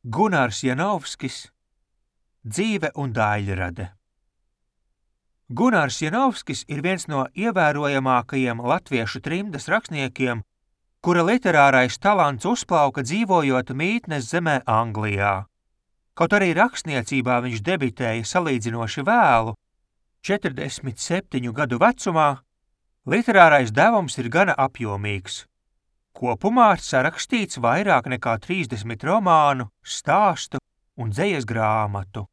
Gunārs Janovskis, dzīve un daļrade. Gunārs Janovskis ir viens no ievērojamākajiem latviešu trimdas rakstniekiem, kura literārais talants uzplauka dzīvojot mītnes zemē Anglijā. Kaut arī rakstniecībā viņš debitēja salīdzinoši vēlu, 47 gadu vecumā, literārais devums ir gana apjomīgs. Kopumā ir sarakstīts vairāk nekā 30 romānu, stāstu un dzejas grāmatu.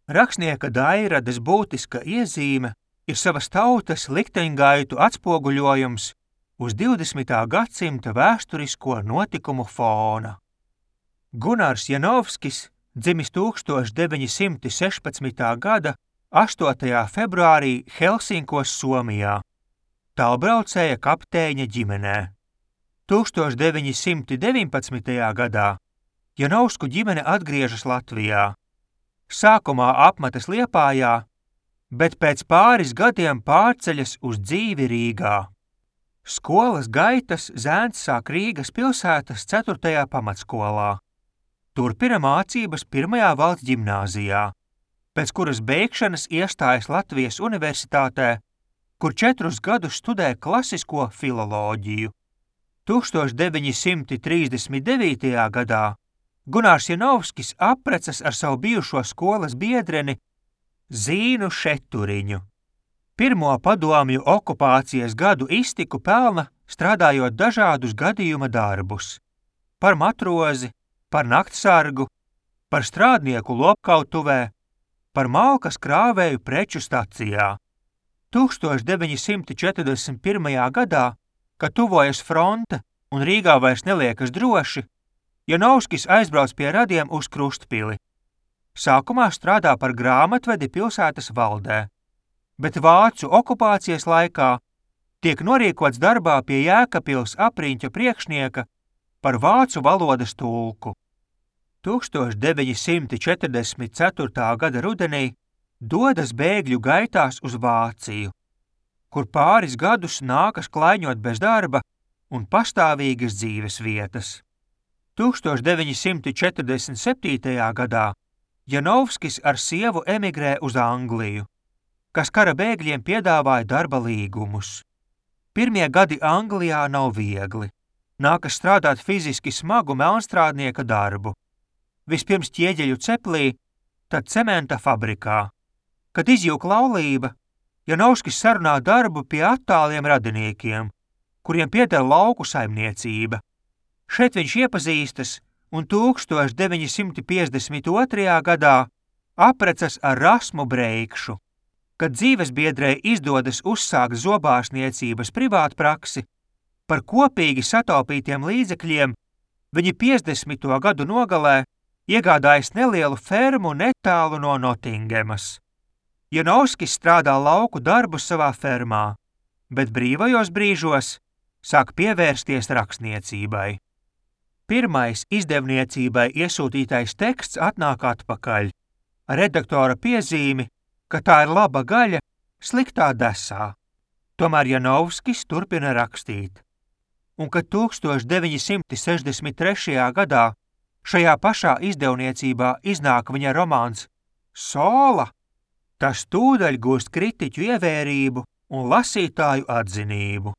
Rakstnieka daļrades būtiska iezīme ir savas tautas likteņgaitu atspoguļojums uz 20. gadsimta vēsturisko notikumu fona. Gunārs Janovskis dzimis 1916. gada 8. februārī Helsinkos, Somijā, tālbraucēja kapteiņa ģimenē. 1919. gadā Janovsku ģimene atgriežas Latvijā. Sākumā apmetas Liepājā, bet pēc pāris gadiem pārceļas uz dzīvi Rīgā. Skolas gaitas zēns sāk Rīgas pilsētas 4. pamatskolā. Turpina mācības 1. valsts ģimnāzijā, pēc kuras beigšanas iestājas Latvijas universitātē, kur 4 gadus studē klasisko filoloģiju. 1939. gadā Gunārs Janovskis apprecas ar savu bijušo skolas biedreni Zīnu Šeturiņu. Pirmo padomju okupācijas gadu iztiku pelna strādājot dažādus gadījuma darbus – par matrozi, par naktsargu, par strādnieku lopkautuvē, par malkas krāvēju preču stacijā. 1941. gadā, kad tuvojas fronte un Rīgā vairs neliekas droši, Janovskis aizbrauc pie radiem uz Krustpili. Sākumā strādā par grāmatvedi pilsētas valdē, bet vācu okupācijas laikā tiek norīkots darbā pie Jēkabpils apriņķa priekšnieka par vācu valodas tulku. 1944. gada rudenī dodas bēgļu gaitās uz Vāciju, kur pāris gadus nākas klaiņot bez darba un pastāvīgas dzīves vietas. 1947. gadā Janovskis ar sievu emigrē uz Angliju, kas kara bēgļiem piedāvāja darba līgumus. Pirmie gadi Anglijā nav viegli. Nākas strādāt fiziski smagu melnstrādnieka darbu. Vispirms ķieģeļu ceplī, tad cementa fabrikā. Kad izjūg laulība, Janovskis sarunā darbu pie attāliem radiniekiem, kuriem pieder lauku saimniecība. Šeit viņš iepazīstas un 1952. gadā apprecas ar Rasmu Breikšu. Kad dzīvesbiedrei izdodas uzsākt zobārstniecības privātpraksi, par kopīgi sataupītiem līdzekļiem viņi 50. gadu nogalē iegādājas nelielu fermu netālu no Notingemas. Janovskis strādā lauku darbu savā fermā, bet brīvajos brīžos sāk pievērsties rakstniecībai. Pirmais izdevniecībai iesūtītais teksts atnāk atpakaļ, ar redaktora piezīmi, ka tā ir laba gaļa sliktā desā. Tomēr Janovskis turpina rakstīt. Un kad 1963. gadā šajā pašā izdevniecībā iznāk viņa romāns Sola, tas tūdaļ gūst kritiķu ievērību un lasītāju atzinību.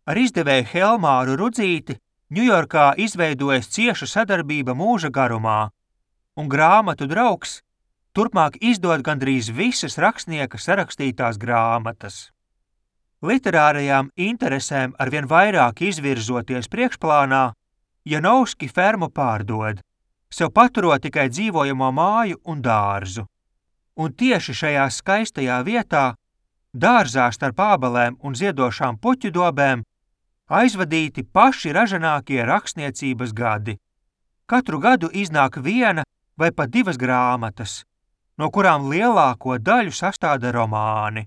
Ar izdevēju Helmāru Rudzīti Ņujorkā izveidojas cieša sadarbība mūža garumā, un grāmatu draugs turpmāk izdod gandrīz visas rakstnieka sarakstītās grāmatas. Literārajām interesēm arvien vairāk izvirzoties priekšplānā, Janovski fermu pārdod, sev paturot tikai dzīvojamo māju un dārzu. Un tieši šajā skaistajā vietā, dārzā starp ābelēm un ziedošām puķu dobēm, aizvadīti paši ražanākie rakstniecības gadi. Katru gadu iznāk 1 vai pat 2 grāmatas, no kurām lielāko daļu sastāda romāni.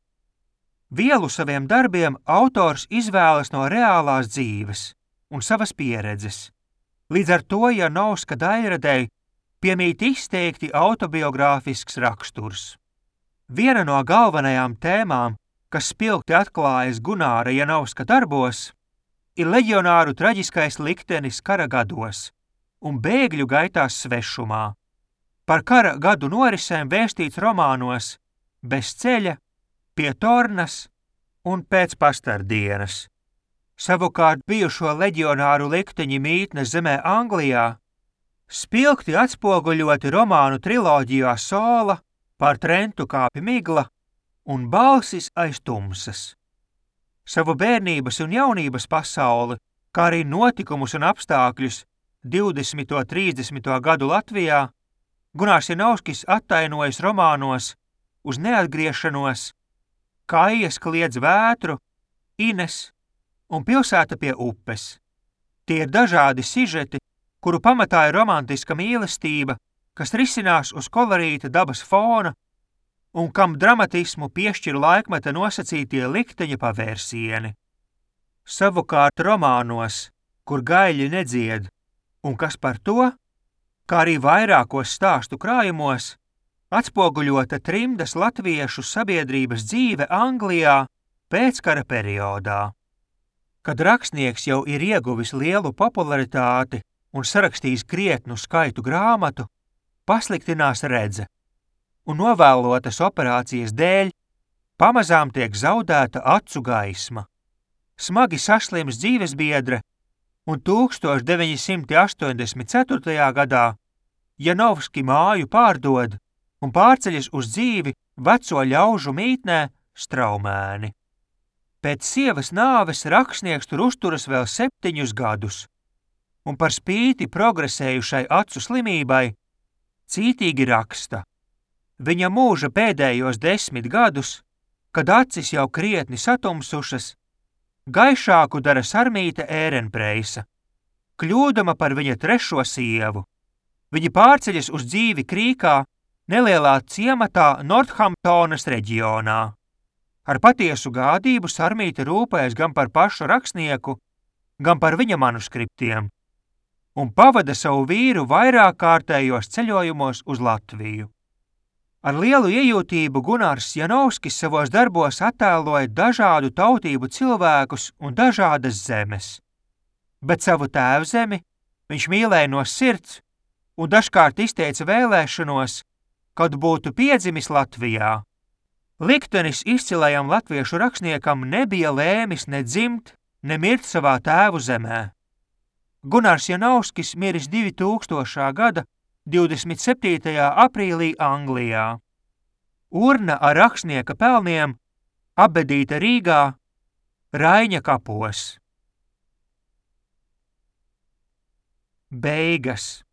Vielu saviem darbiem autors izvēlas no reālās dzīves un savas pieredzes. Līdz ar to Janovska daļradei piemīt izteikti autobiogrāfisks raksturs. Viena no galvenajām tēmām, kas spilgti atklājas Gunāra Janovska darbos, ir leģionāru traģiskais liktenis kara gados, un bēgļu gaitās svešumā. Par kara gadu norisēm vēstīts romānos Bez ceļa, Pie tornas un Pēc pastardienas. Savukārt bijušo leģionāru likteņi mītnes zemē Anglijā spilgti atspoguļoti romānu triloģijā Sola, Pār Trentu kāpj migla un Balsis aiz tumsas. Savu bērnības un jaunības pasauli, kā arī notikumus un apstākļus 20. un 30. gadu Latvijā, Gunārs Janovskis attainojas romānos Uz neatgriešanos, Kaijas kliedz vētru, Ines un Pilsēta pie upes. Tie ir dažādi sižeti, kuru pamatā ir romantiska mīlestība, kas risinās uz kolorīta dabas fona un kam dramatismu piešķir laikmeta nosacītie likteņa pavērsieni. Savukārt romānos, kur gaļi nedzied, un kas par to, kā arī vairākos stāstu krājumos, atspoguļota trimdas latviešu sabiedrības dzīve Anglijā pēckara periodā. Kad rakstnieks jau ir ieguvis lielu popularitāti un sarakstījis krietnu skaitu grāmatu, pasliktinās redze, un novēlotas operācijas dēļ pamazām tiek zaudēta acu gaisma. Smagi saslims dzīvesbiedre, un 1984. gadā Janovski māju pārdod un pārceļas uz dzīvi veco ļaužu mītnē Straumēni. Pēc sievas nāves rakstnieks tur uzturas vēl 7 gadus, un par spīti progresējušai acu slimībai cītīgi raksta. Viņa mūža pēdējos 10 gadus, kad acis jau krietni satumsušas, gaišāku dara Sarmīte Ērenpreisa, kļūdama par viņa 3. sievu. Viņa pārceļas uz dzīvi Krīkā, nelielā ciematā Northamptonas reģionā. Ar patiesu gādību Sarmīte rūpējas gan par pašu rakstnieku, gan par viņa manuskriptiem, un pavada savu vīru vairāk kārtējos ceļojumos uz Latviju. Ar lielu iejūtību Gunārs Janovskis savos darbos attēloja dažādu tautību cilvēkus un dažādas zemes. Bet savu tēvzemi viņš mīlēja no sirds un dažkārt izteica vēlēšanos, kad būtu piedzimis Latvijā. Liktenis izcilajam latviešu rakstniekam nebija lēmis ne dzimt, ne mirt savā tēvu zemē. Gunārs Janovskis miris 2000. gada 27. aprīlī Anglijā. Urna ar rakstnieka pelniem apbedīta Rīgā, Raiņa kapos. Beigas.